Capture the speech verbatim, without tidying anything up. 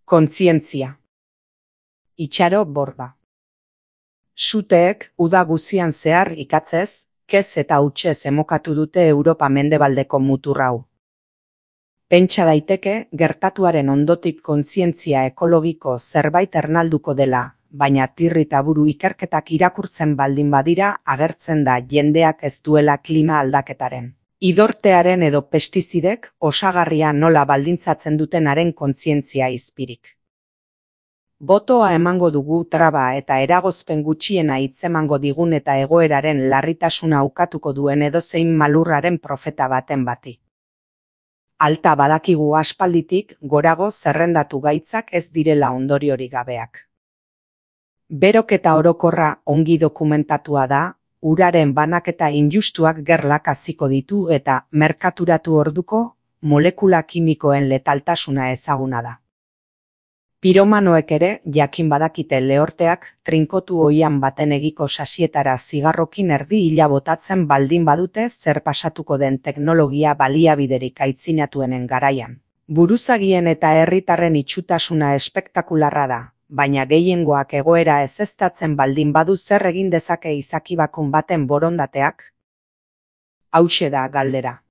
Kontzientzia. Itxaro Borda. Suteek uda guzian zehar ikatzez, kez eta hutsez emokatu dute Europa mendebaldeko mutur hau. Pentsa daiteke gertatuaren ondotik kontzientzia ekologiko zerbait ernalduko dela, baina tirrita buru ikerketak irakurtzen baldin badira agertzen da jendeak ez duela klima aldaketaren, idortearen edo pestizidek osagarria nola baldintzatzen dutenaren kontzientzia izpirik. Botoa emango dugu traba eta eragozpen gutxiena hitzemango digun eta egoeraren larritasuna ukatuko duen edozein malurraren profeta baten bati. Alta badakigu aspalditik gorago zerrendatu gaitzak ez direla ondoriorik gabeak. Beroketa orokorra ongi dokumentatua da, uraren banaketa injustuak gerlak hasiko ditu eta merkaturatu orduko molekula kimikoen letaltasuna ezaguna da. Piromanoek ere jakin badakite lehorteak trinkotu oihan baten egiko sasietara zigarrokin erdi hila botatzen baldin badute zer pasatuko den teknologia baliabiderik aitzinatuenen garaian. Buruzagien eta herritarren itxutasuna espektakularra da, baina gehiengoak egoera ezeztatzen baldin badu zer egin dezake izakibakun baten borondateak? Hauxe da galdera.